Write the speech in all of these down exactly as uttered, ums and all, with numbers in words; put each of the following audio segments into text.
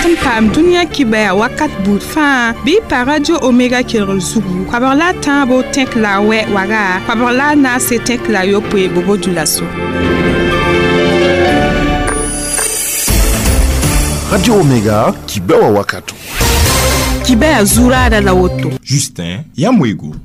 dat n paam dũniyã kibɛa wakat buud fãa bɩ pa Radio Omega kelgr zugu koabg la a tãabo tẽk la a wɛ waga koabg la a naase tẽk la a yopoe bobo dulaso. Radio Omega kibɛwa wakato. Kibɛa zuraada la woto. Justin Yamwego.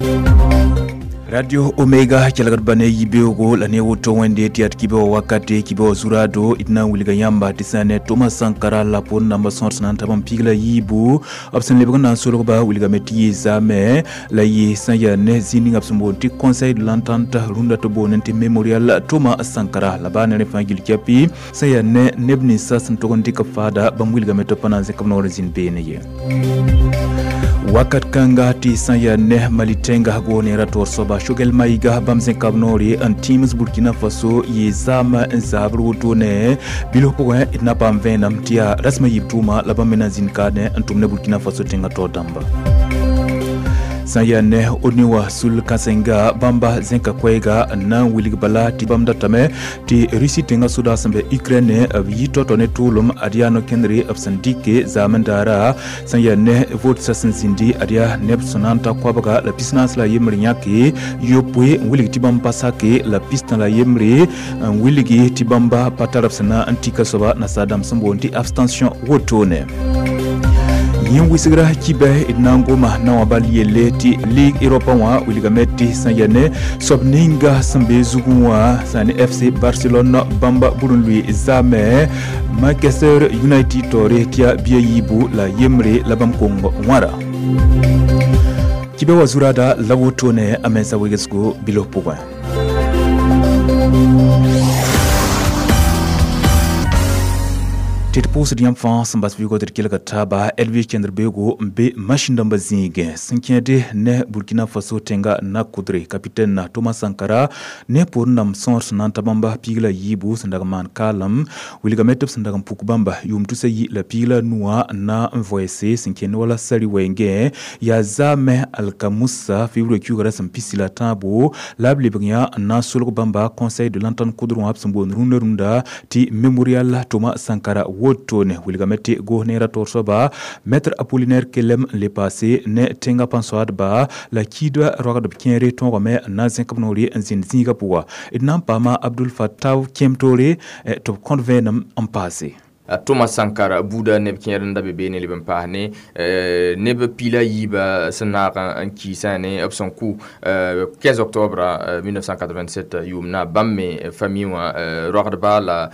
Radio Omega kelgd ba ne yibeoogo la ne woto wẽnde tɩ yaa tɩ kibɛ wa wakate kibɛ wa zuraado d na n wilga yãmba tɩ sã ne Thomas Sankara la pʋʋr namba sõor sẽn na n tab n pig la yiibu b sẽn lebg n na n solgba wilgame tɩ yɩ zaame la yɩ sã n yaa ne zĩig ninga b sẽn boond tɩ Conseil de l'entente rũndã tɩ boond tɩ Mémorial Thomas Sankara la baa ne rẽ fãa gill kɛpɩ sã n yaa ne neb ninsã sẽn tog n dɩk b faada bãmb wilgame tɩ b pa na n zẽk b noor n zĩnd beene ye. Wakat kãnga tɩ sã n yaa ne Mali tẽnga goonera toor soaba Choguel Maïga bãmb zẽka b noore n tĩims Burkina Faso yɩ zaam n zabr woto ne bilf pʋgẽ d na paam vẽenem tɩ yaa rasmã yiib tʋʋma la bãmb me na n zĩnd kaadẽ n tʋm ne Burkina Faso tẽngã taoor dãmba. Sã n yaa ne O N U wã sul kãsenga bãmba zẽka koɛɛga n na n wilg bala tɩ bãmb datame tɩ Russie tẽngã sodaag sẽn be Ukraine b yi tao-tao ne tʋʋlem ad yaa no-kẽndre b sẽn dɩke zaamend daara sã n yaa ne votsa sẽn zĩndi ad yaa neb sẽn na n ta koabga la pis-naas la yembre yãke yopoe n wilg tɩ bãmb pa sake la pistã la yembre n wilgi tɩ bãmba pa tar b sẽn na n tika soaba nasaar dãmb sẽn boond tɩ abstention wotone. Yẽ wɩsgra kibɛ d na n goma na wã bal yelle tɩ Ligue Europa wã wilgame tɩ sã n yaa ne soab ninga sẽn be zugẽ wã sã ne F C Barcelone bãmba bur n lʋɩ zaame Manchester United taoore tɩ yaa bia yiibu la yembre la bãmb kong wãra. Kibɛ wa zuraada la wotone a mensa wegesgo bilf pʋgẽ. Tɩ d pʋʋsd yãmb fãa sẽn bas vɩɩgɔ tɩ d kelga taaba Elvis kẽndr beoogo n be masĩn dãmbã zĩigẽ sẽn kẽede ne Burkina Faso tẽnga na kʋdre capitaine Thomas Sankara ne pʋʋr nam sõor sẽn na n ta bãmba piig la yiibu sẽn dag n maan kaalem wilgame tɩ b sẽn dag n puk bãmba yʋʋm tusa yi la piig la nuwã n na n voɛɛse sẽn kẽnd wala sari wɛɛngẽ yaa zaame alkamusa février kiuugã ra sẽn pisi la tãabo la b lebg yã n na n solg bãmba Conseil de l'entente kʋdr wã b sẽn boond rũndã rũndã tɩ Mémorial Thomas Sankara wotone wilgame tɩ goos neerã toor soaba Maître Apollinaire Kelem n le paase ne tẽngã pãn-soaadba la kiidba roagdb kẽere tõogame n na n zẽk b noore n zĩnd zĩigã pʋga d na n paama Abdul Fattaw kẽem-toore tɩ b kõt vẽenem n paase. Thomas Sankara buuda neb kẽer n da be beene leb n paas ne neb piila yiiba sẽn naag n kiisã ne b sẽn kʋ quinze octobre mille neuf cent quatre-vingt-sept yʋʋmna bãmb me famille wã roagdba la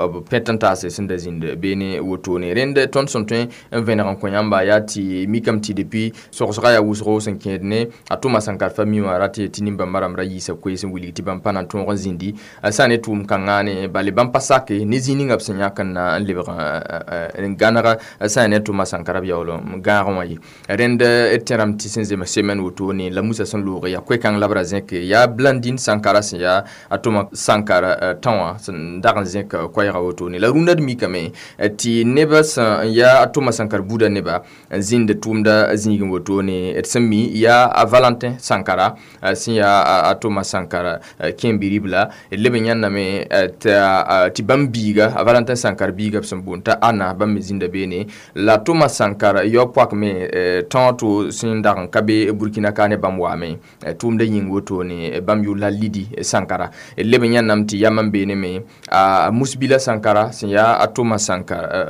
b pẽt n taase sẽn da zĩnd beene wotone rẽnd tõnd sẽn tõe n vẽneg n kõ yãmba yaa tɩ mikame tɩ depuis sogsga yaa wʋsgo sẽn kẽed ne a Thomas Sankara famille wã ra tɩ tɩ nin-bãmba rãmb ra yiisa koees n wilg tɩ bãmb pa na n tõog n zĩndi sã ne tʋʋm kãngã ne bale bãmb pa sake ne zĩig ninga b sẽn yãk n na n lebg n gãnega sã n ne Thomas Sankara b yaool n gãag wã ye rẽnd d tẽrame tɩ sẽn zems semaine wotone la Musa sẽn loog yaa koe-kãng la b ra zẽke yaa Blandine Sankara sẽn yaa a Thomas Sankara tão wã sẽn dag n zẽk koɛɛga wotone la rũndã d mikame tɩ nebã sẽn yaa a Thomas Sankara buudã neba n zĩnd tʋʋmda zĩigẽ wotone d sẽn mi yaa a Valentin Sankara sẽn yaa a Thomas Sankara kẽem-bi-ribla d leb n yãnname tɩ bãmb biiga a Valentin Sankara biiga b sẽn boond t'a Anna bãmb me zĩnda beene la Thomas Sankara yao poak me tão to sẽn dag n ka be Burkina ka ne bãmb waame tʋʋmda yĩng wotone bãmb yʋʋr la Lidi Sankara d leb n yãnname tɩ yam n beene me a Musbila Sankara sẽn yaa a Thomas Sankara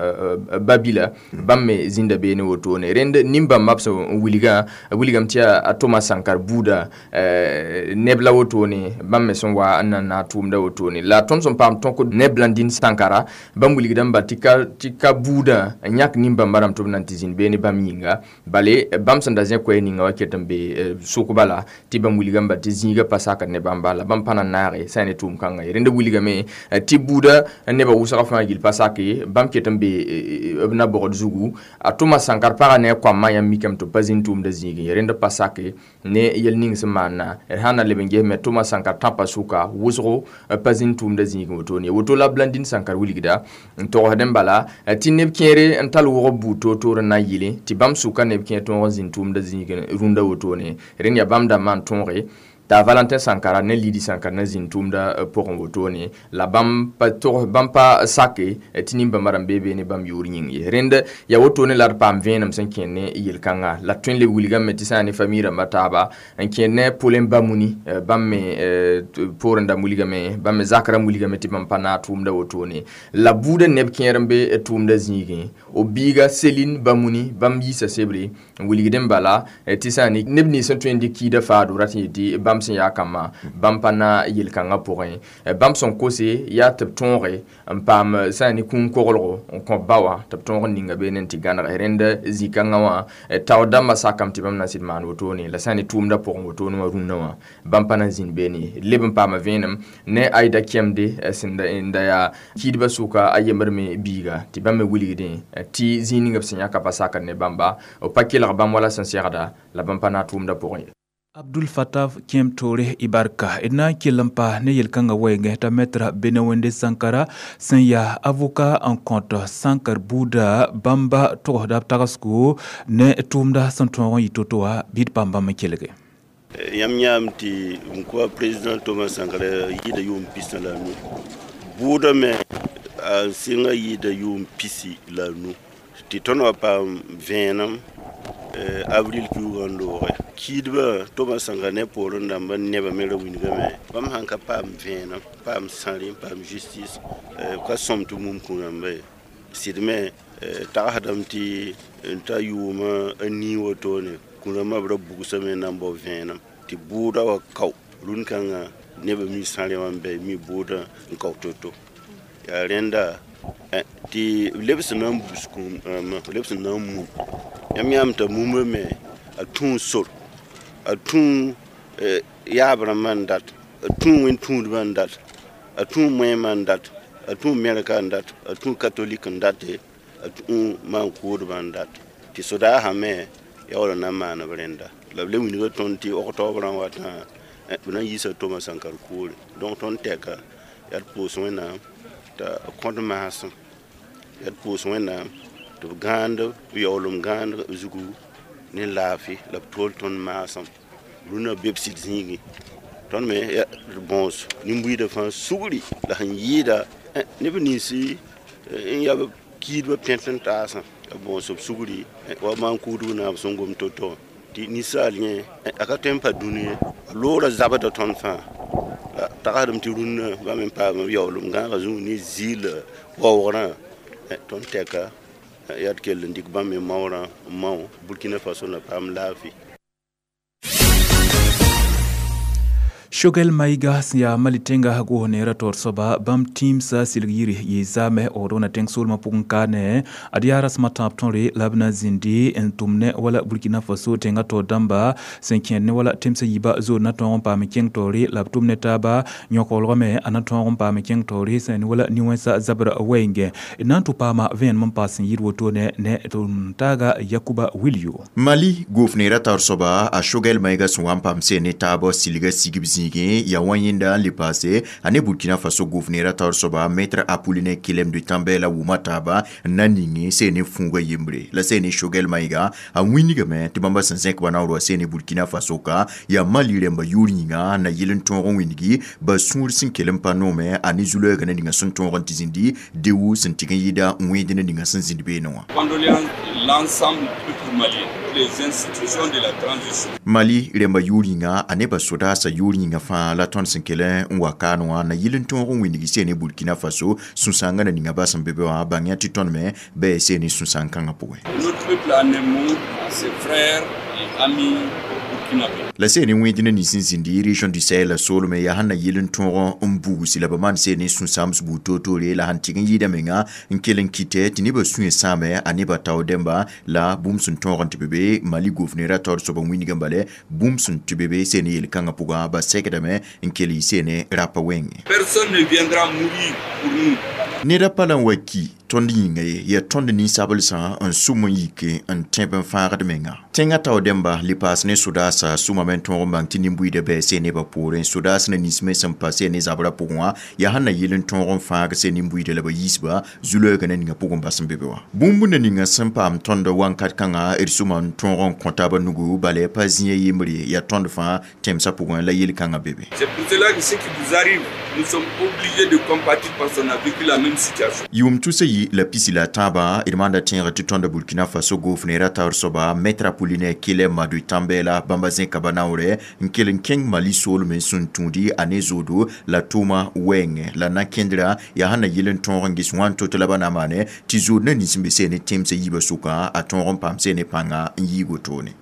babila bãmb me zĩnda beene wotone rẽnd nin-bãmbã b sẽn wilgã wilgame tɩ yaa a Thomas Sankara buudã neb la wotone bãmb me sẽn wa n na n naag tʋʋmda wotone la tõnd sẽn paam tõk ne Blandine Sankara bãmb wilgdãmba tɩ ka tɩ ka buudã n yãk nin-bãmba rãmb tɩ b na n tɩ zĩnd beene bãmb yĩnga bale bãmb sẽn da zẽ koɛɛ ninga wa ket n be sʋkba la tɩ bãmb wilgame tɩ zĩigã pa sakd ne bãmba la bãmb pa na n naage sã n ne tʋʋm kãngã ye rẽnd wilgame tɩ buudã nebã wʋsga fãa gill pa sake bãmb ket n be b na bogd zugu a Thomas Sankara pagã ne a koamã yãmb mikame tɩ b pa zĩnd tʋʋmda zĩigẽ ye rẽnd pa sake ne yel ning sẽn maanna d sã n na leb n ges me Thomas Sankara tãpã sʋka wʋsgo pa zĩnd tʋʋmda zĩigẽ wotone woto la Blandine Sankara wilgda n togsd n bala tɩ neb kẽere n tall wʋgb buud toor-toor n na n yɩle tɩ bãmb sʋka neb kẽer tõog n zĩnd tʋʋmda zĩigẽ rũndã wotone rẽnd yaa bãmb dãmbã n tõoge T'a Valentin Sankara ne Lidi Sankara na zĩnd tʋʋmda pʋgẽ wotone la bãmb pa tog bãmb pa sake tɩ nin-bãmba rãmb bee ne bãmb yʋʋr yĩng ye. Rẽnd yaa wotone la d paam vẽenem sẽn kẽer ne yel-kãnga la tõe n leb wilgame tɩ sã n ne famille rãmbã taaba n kẽer ne Paulin Bamuni bãmb me poorẽ da wilgame bãmb me zakrã wilgame tɩ bãmb pa naag tʋʋmda wotone la buudã neb kẽer n be tʋʋmda zĩigẽ b biiga Céline Bamuni bãmb yiisa sebre n wilgdẽ bala tɩ sã n neb nins sẽn tõe n dɩk kiida faado rat n yetɩ bãmb sẽn yaa kambã bãmb pa na yel-kãngã pʋgẽ bãmb sẽn kose yaa tɩ b tõoge n paam sã n ne kũum koglgo n kõ ba wã tɩ b tõog n ninga beene n tɩ gãneg rẽnd zĩ-kãngã wã tao dãmbã sakame tɩ bãmb na n sɩd maan wotone la sã n ne tʋʋmdã pʋgẽ wotone wã rũnnã wã bãmb pa na n zĩnd beene leb n paama vẽenem ne Aïda Kemde sẽn da yaa kiidbã sʋka a yembr me biiga tɩ bãmb me wilgdẽ tɩ zĩig ninga b sẽn yãka pa sakd ne bãmba b pa kelg bãmb wala sẽn segda la bãmb pa na tʋʋmdã pʋgẽ ye. Abdul Fattah Kem Toure Ibarka ina kell n pa ne yel-kãngã wɛɛngẽ t'a maître Benewende Sankara sẽn yaa avocat n kõt Sankar buuda bãmba togsda b tagsgo ne tʋʋmda sẽn tõog n yɩ to-to wã bɩ d paam bãmb n kelge. Yãmb yãam tɩ m kʋa président Thomas Sankara yɩɩda yʋʋm pis la nu buudã me a sɩnga yɩɩda yʋʋm pisi la nu tɩ tõnd wa paam vẽenem avril kiuugã n looge kiidbã Thomas Sankara ne poorẽ dãmbã nebã me ra wilgame bãmb sãn ka paam vẽenem paam sãre n paam justice ka sõm tɩ mum kũ rãmba ye sɩd me tagsdame tɩ n ta yʋʋmã a nii wotone kũ rãmbã b ra bugsame n na n bao vẽenem tɩ bʋʋda wa kao rũn-kãngã nebã mi sãre wã n bɛ mi bʋʋdã n kao to-to yaa rẽnda tɩ b lebs na n bus kũum rãmbã b lebs na n mum yãmb yãam t'a mumba me a tũu sor a tũu yaab rãmbã n dat a tũu wẽn-tũudbã n dat a tũu moẽmã n dat a tũu mɛrka n dat a tũu katolik n date a tũu maan-kʋʋdbã n dat tɩ sodaasã me yaa wala na n maan b rẽnda la b le wilga tõnd tɩ octobre n watã b na n yiisa Thomas Sankara koore donc tõnd tɛka yaa d pʋʋs Wẽnnaam t'a kõt maasem yaa d pʋʋs Wẽnnaam tɩ b gãand b yaoolem gãand zugu ne laafɩ la b tool tõnd maasem rũnã be b sɩd zĩigẽ tõnd me d bõos nin-buiidã fãa sugri la sẽn yɩɩda neb nins n yaa kiidbã pẽt n taasã b bõos b sugri wa maan-kʋʋdb naab sẽn gom to-to tɩ ninsaal yẽ a ka tõe n pa dũni ye a loora zabda tõnd fãa la tagsdame tɩ rũnnã bãmb n paam b yaoolem gãagã zũug ne zɩɩl waoogrã tõnd tɛka yaa d kell n dɩk bãmb me maoorã n mao Burkina Faso na paam laafɩ. Choguel Maïga sẽn yaa Mali tẽnga goos neerã taoor soaba bãmb tĩimsã sɩlg yiri yɩ zaame Odona tẽng soolmã pʋgẽ kaane ad yaa rasem a tãab tõre la b na zĩndi n tʋm ne wala Burkina Faso tẽngã taoor dãmba sẽn kẽer ne wala tẽmsã yiibã zood na tõog n paam n kẽng taoore la b tʋm ne taaba yõkolgame a na tõog n paam n kẽng taoore sẽn ne wala nin-wẽnsã zabr wɛɛngẽ d na n tʋ paama vẽenem n paas sẽn yɩɩd wotone ne tʋm taaga Yakuba Wilio. Mali goos neerã taoor soaba a Choguel Maïga sẽn wa n paam sẽn ne taab silga sigb zĩigẽ yaa wã yẽnda n le paase a ne Burkina Faso gouverneur taoor soaba maître Apollinaire Kyélem de Tambèla la wʋma taaba n na ninge sẽn ne fũuga yembre la sẽn ne Choguel Maïga a wĩnigame tɩ bãmba sẽn zẽk ba naoor wa sẽn ne Burkina Faso ka yaa Mali rẽmba yʋʋr yĩnga na yɩl n tõog n wĩnigi ba sũur sẽn kell n pa noome a ne zu-loɛɛgã ne ninga sẽn tõog n tɩ zĩndi dewu sẽn tɩg n yɩɩda n wẽed ne ninga sẽn zĩnd beene wã. L'ensemble du peuple malien, les institutions de la transition. Mali rẽmba yʋʋr yĩnga a nebã sodaasã yʋʋr yĩnga fãa la tõnd sẽn kell n wa kaan wã na yɩl n tõog n wĩnigi sẽn ne Burkina Faso sũ-sãangã na ninga bas n be be wã bãng yã tɩ tõnd me bɩ sẽn ne sũ-sãang kãngã pʋgẽ. Notre peuple en un mot à ses frères et amis burkinabé. La sẽn ne wẽed ne nins n zĩndi région du Sahel la soolme yaa sẽn na yɩl n tõog n bugs la b maan sẽn ne sũ-sãams buud toor-toore la sẽn tɩg n yɩɩda menga n kell n kɩtɛ tɩ nebã sũyã sãame a nebã tao dẽmba la bũmb sẽn tõog n tɩ be be Mali gouverneur taoor soab n wĩnigã bale bũmb sẽn tɩ be be sẽn ne yel-kãngã pʋgã ba sɛkdame n kell yɩ sẽn ne rapa wẽnge. Personne ne viendra mourir pour nous. Ned pa la n wa ki Tõnd yĩnga ye yaa tõnd ninsaablsã n sʋm n yike n tẽb n fãagd menga. Tẽngã tao dẽmba le paas ne sodaasã sʋmame n tõog n bãng tɩ nin-buiidã bɛɛse nebã poorẽ sodaas na nins me sẽn pa se ne zabrã pʋgẽ wã yaa sẽn na yɩl n tõog n fãag se nin-buiidã la ba yiisba zu-loeegã na ninga pʋgẽ bas n be be wã. Bũmb na ninga sẽn paam tõnd wãnkat kãngã d sʋma n tõog n kõ taabã nugu bala pa zĩ a yembre yaa tõnd fãa tẽmsã pʋgẽ la yel-kãngã be be. C'est pour cela que ce qui vous arrive, nous sommes obligés de compatir parce qu'on a vécu la même situation. Yʋʋm tusa yi la pisi la tãabã d maanda tẽegr tɩ tõnda Burkina Faso goofneerã taoor soaba Maître Apollinaire Kyelem Madu Tambela bãmba zẽka ba naoorɛ n kell n kẽng Mali soolem n sũn tũudi a ne zoodo la tʋʋma wɛɛngẽ la na kẽndrã yaa sẽn na yɩl n tõog n ges wãn to-to la ba na maane tɩ zood na nins n be see ne tẽmsã yiibã sʋkã a tõog n paam see ne pãnga n yiig wotone.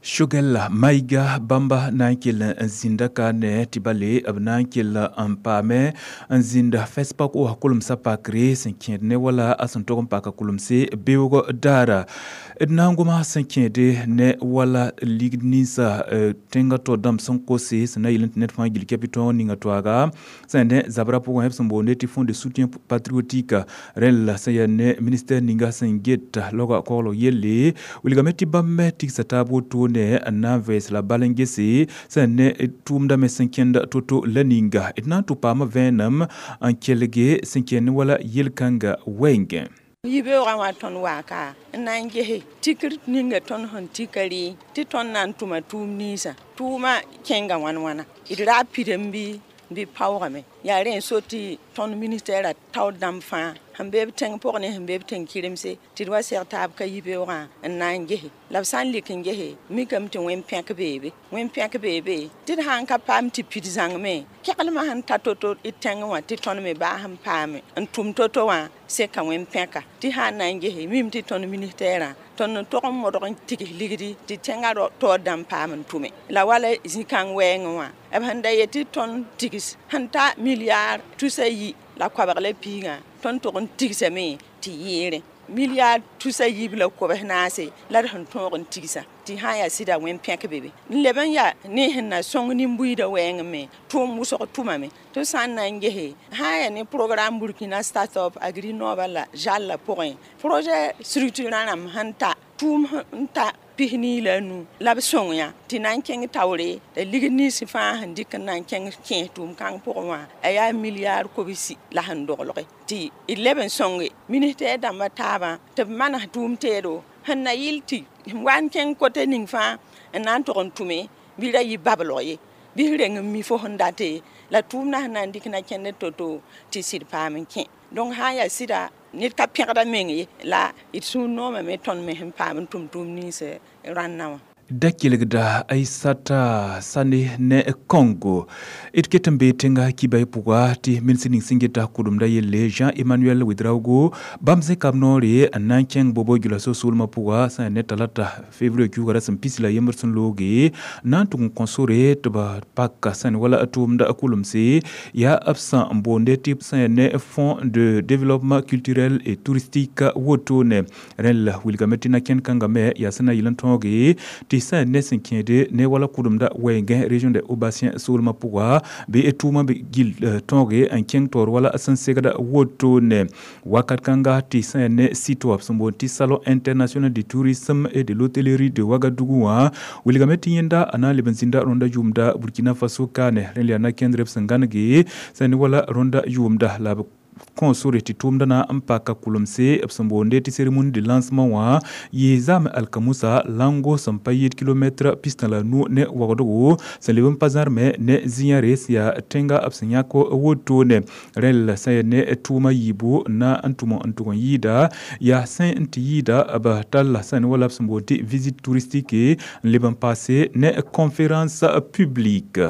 Choguel Maïga bãmba na n kell n zĩnda ka ne tɩ bale b na n kell n paame n zĩnda FESPACO wa kolmsã pakre sẽn kẽed ne wala a sẽn tog n paka kolmse beoog daara d na n goma sẽn kẽede ne wala ligd ninsã tẽngã tao dãmb sẽn kose sẽn na yɩl n tɩ ned fãa gil kɛpɩ tõog ninga toaaga sẽn ne zabrã pʋgẽ b sẽn boonde tɩ Fonds de soutien patriotique rẽn la sẽn yaa ne ministère ninga sẽn get laoga koglg yelle wilgame tɩ bãmb me tigsa taab wotone n na n vɛɛs la bal n gese sẽn ne tʋʋmda me sẽn kẽnd to-to la ninga d na n tʋ paama vẽenem n kelge sẽn kẽnd wala yel-kãnga wɛɛngẽ. Yibeoogã wã tõnd waaka n na n gese tikr ninga tõnd sẽn tika rɩ tɩ tõnd na n tʋma tʋʋm ninsã tʋʋmã kẽnga wãn wãna d ra pidem bɩ bɩ paoogame yaa rẽ n so tɩ tõnd ministɛɛrã taoor dãmb fãa sẽn be b tẽng pʋgẽ ne sẽn be b tẽng kɩremse tɩ d wa seg taab ka yibeoogã n na n gese la b sã n lik n gese mikame tɩ wẽn-pẽk beebe wẽn-pẽk beebe tɩ d sã n ka paam tɩ pid zãngme keglmã sẽn ta to-to d tẽngẽ wã tɩ tõnd me baa sẽn paame n tʋm to-to wã seka wẽn-pẽka tɩ sã n na n gese mim tɩ tõnd ministɛɛrã tõnd n tog n modg n tigs ligdi tɩ tẽngã taoor dãmb paam n tʋme la wala zĩ-kãng wɛɛngẽ wã b sẽn da yet tɩ tõnd tigs sẽn ta milliard tusa yi la koabg la piigã tõnd tog n tigsame tɩ yɩɩrẽ milliard tusa yiib la kobs naase la d sẽn tõog n tigsa tɩ sã n yaa sɩda wẽn-pẽk be be n leb n yaa ne sẽn na sõng nin-buiidã wɛɛngẽ me tʋʋm wʋsg tʋmame tɩ sã n na n gese sã n yaa ne programme Burkina Start-up Agri Nova la jalla pʋgẽ projet structurant rãmb sẽn ta tʋʋm n ta pisnii la a nu la b sõng yã tɩ na n kẽng taoore la ligd nins fãa sẽn dɩk n na n kẽng kẽes tʋʋm-kãng pʋgẽ wã a yaa milliard kobsi la sẽn doglge tɩ d leb n sõnge ministɛɛr dãmbã taabã tɩ b manes tʋʋm teedo sẽn na yɩl tɩ wa n kẽng kote ning fãa n na n tog n tʋme bɩ ra yɩ bablg ye bɩ reng n mi fo sẽn date la tʋʋmdã sẽn na n dɩk na kẽnd to-to tɩ sɩd paam n kẽ donc sã n yaa sɩda ned ka pẽgda meng ye la d sũur noomame tõnd me sẽn paam n tʋm tʋʋm nins rãnnã wã. Da kelgda Aissata Sane ne Congo d ket n bee tẽnga kibay pʋga tɩ minsẽ ning sẽn geta kʋdemda yelle Jean-Emmanuel Ouedraogo bãmb zẽka b noore n na n kẽng bobo gɩla so-soolmã pʋga sẽn yaa ne talata février kiuugã ra sẽn pis la yembr sẽn looge na n tʋg n kõ sore tɩ b pak sẽn wala tʋʋmda kʋlemse yaa b sã n boonde tɩ sẽn yaa ne Fonds de développement culturel et touristique wotone rẽn la wilgame tɩ na kẽnd kãngã me yaa sẽn na yɩl n tõoge tɩ sẽn ne sẽn kẽede ne wala kʋdemda wɛɛngẽ région de Haut-Bassin soolmã pʋga bɩ tʋʋmã bɩ gil tõoge n kẽng taoor wala sẽn segda wotone wakat kãnga tɩ sẽn yaa ne site wã b sẽn boond tɩ Salon international du tourisme et de l'hôtellerie de Ouagadougou wã wilgame tɩ yẽnda a na n leb n zĩnda rõnda yʋʋmda Burkina Faso kaane rẽn la yaa na kẽndr b sẽn gãnege sẽn ne wala rõnda yʋʋmda la b kõ sore tɩ tʋʋmdã na n paka kʋlemse b sẽn boonde tɩ cérémonie de lancement wã yɩ zaam alkamusa lango sẽn pa yɩɩd kilomɛtrã pistã la nu ne wagdgo sẽn leb n pa zãrme ne zĩ-yãre sẽn yaa tẽnga b sẽn yãk wotone rẽn la sẽn yaa ne tʋʋmã yiibu na n tʋm n tʋg n yɩɩda yaa sẽn n tɩ yɩɩda b talla sẽn wala b sẽn boond tɩ visite touristique n leb n paase ne conférence publique.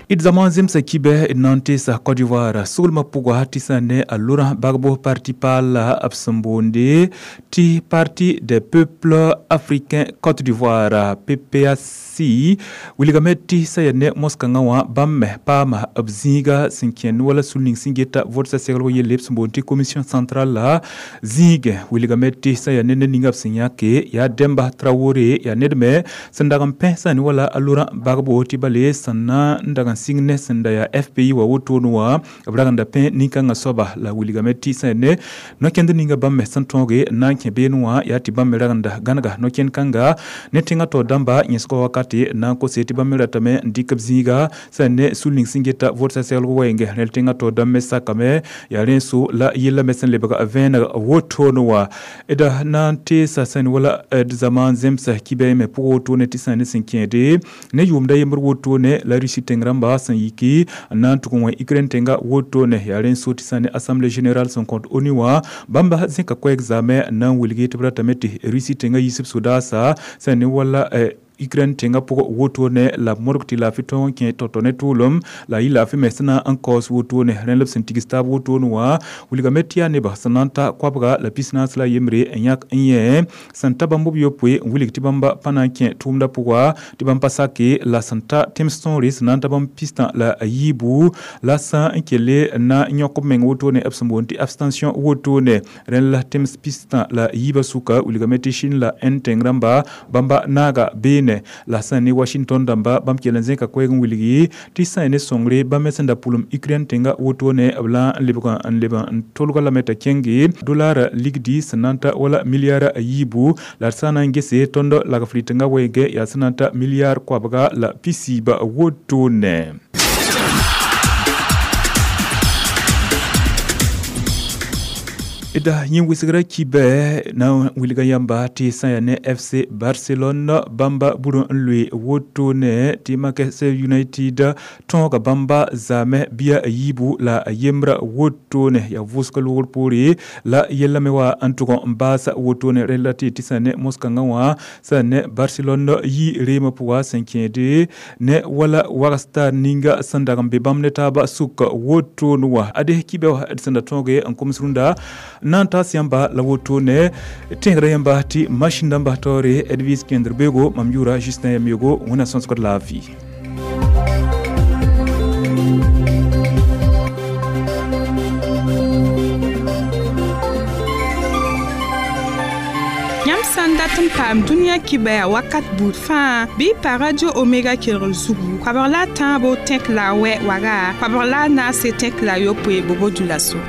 D zãma zemsa kibɛ d na n teesa Côte d'Ivoire soolmã pʋga tɩ sã ne a Laurent Gbagbo parti paal b sẽn boonde tɩ Parti des peuples africains Côte d'Ivoire P P A C wilgame tɩ sã yaa ne mos-kãngã wã bãmb me paama b zĩiga sẽn kẽnd wala sul ning sẽn geta votsa seglg yelle b sẽn boond tɩ commission centrale la zĩigẽ wilgame tɩ sã yaa ne ned ninga b sẽn yãke yaa Demba Traoré yaa ned me sẽn dag n pẽ sã ne wala a Laurent Gbagbo tɩ bale sẽn na n dag sẽn sɩng ne sẽn da yaa F P I wa wotone wã b rag n da pẽ nin-kãngã soaba la wilgame tɩ sã ne no-kẽnd ninga bãmb me sẽn tõoge n na n kẽ beene wã yaa tɩ bãmb me rag n da gãnega no-kẽnd kãnga ne tẽngã taoor dãmba yẽsga wakate n na n kose tɩ bãmb me ratame n dɩk b zĩiga sã ne sul ning sẽn geta votsa seglg wɛɛngẽ rẽl tẽngã taoor dãmb me sakame yaa rẽ so la yella me sẽn lebg vẽeneg wotone wã d na n teesa sẽn wala d zaman zemsa kibɛ me pʋgã wotone tɩ sã ne sẽn kẽede ne yʋʋmda yembr wotone la Russie tẽng rãmba sẽn yiki n na n tʋg n wẽ Ukraine tẽnga wotone yaa rẽ so tɩ sã ne Assemblée générale sẽn kõt ONU wã bãmba zẽka koɛɛg zaame n na n wilgi tɩ b ratame tɩ Russie tẽngã yisb sodaasa sẽn ne wala Ukraine tẽngã pʋgẽ wotone la b modg tɩ laafɩ tõog n kẽ tao-tao ne tʋʋlem la yɩ laafɩ me sẽn na n kaoos wotone rẽ la b sẽn tigs taab wotone wã wilgame tɩ yaa nebã sẽn na n ta koabga la pis-naas la yembre n yãk n yẽ sẽn ta bãmb b yopoe n wilg tɩ bãmba pa na n kẽ tʋʋmdã pʋga tɩ bãmb pa sake la sẽn ta tẽms tõore sẽn na n ta bãmb pistã la yiibu la sã n kelle n na n yõk b meng wotone b sẽn boond tɩ abstention wotone rẽ la tẽms pistã la yiibã sʋka wilgame tɩ Chine la Inde tẽng rãmba bãmba naaga beene la sã ne Washington dãmba bãmb kell n zẽka koɛɛg n wilgi tɩ sã ne sõngre bãmb me sẽn da pʋlem Ukraine tẽngã wotone b la n lebg n leb n tolga lame t'a kẽnge dollar ligdi sẽn na n ta wala milliard yiibu la d sã na n gese tõnd lagf rɩtengã wɛɛngẽ yaa sẽn na n ta milliard koabga la pisiiba wotone. Da yẽ wɩsgra kibɛ na n wilga yãmba tɩ sã yaa ne F C Barcelone bãmba bur n loe wotone tɩ Manchester United tõoga bãmba zaame bia yiibu la yembra wotone yaa vʋʋsga loogr poore la yella me wa n tʋg n baas wotone rẽ la tɩ tɩ sã ne mos-kãngã wã sã ne Barcelone yi reemã pʋga sẽn kẽede ne wala wagstar ninga sẽn dag n be bãmb ne taaba sʋk wotone wã ade kibɛ wã d sẽn da tõoge n koms rũndã nan ta yãmba la wotone tẽegra yãmba tɩ machine dãmba taoore Edwige Kenderbego mam yʋʋra Justin Yamyogo wẽnna sõsgd laafɩ. Yãmb sã n dat n paam dũniyã kibɛa wakat buud fãa bɩ pa Radio Omega kelgr zugu koabg la a tãabo tẽk la a wɛ waga koabg la a naase tẽk la a yopoe bobo dula so.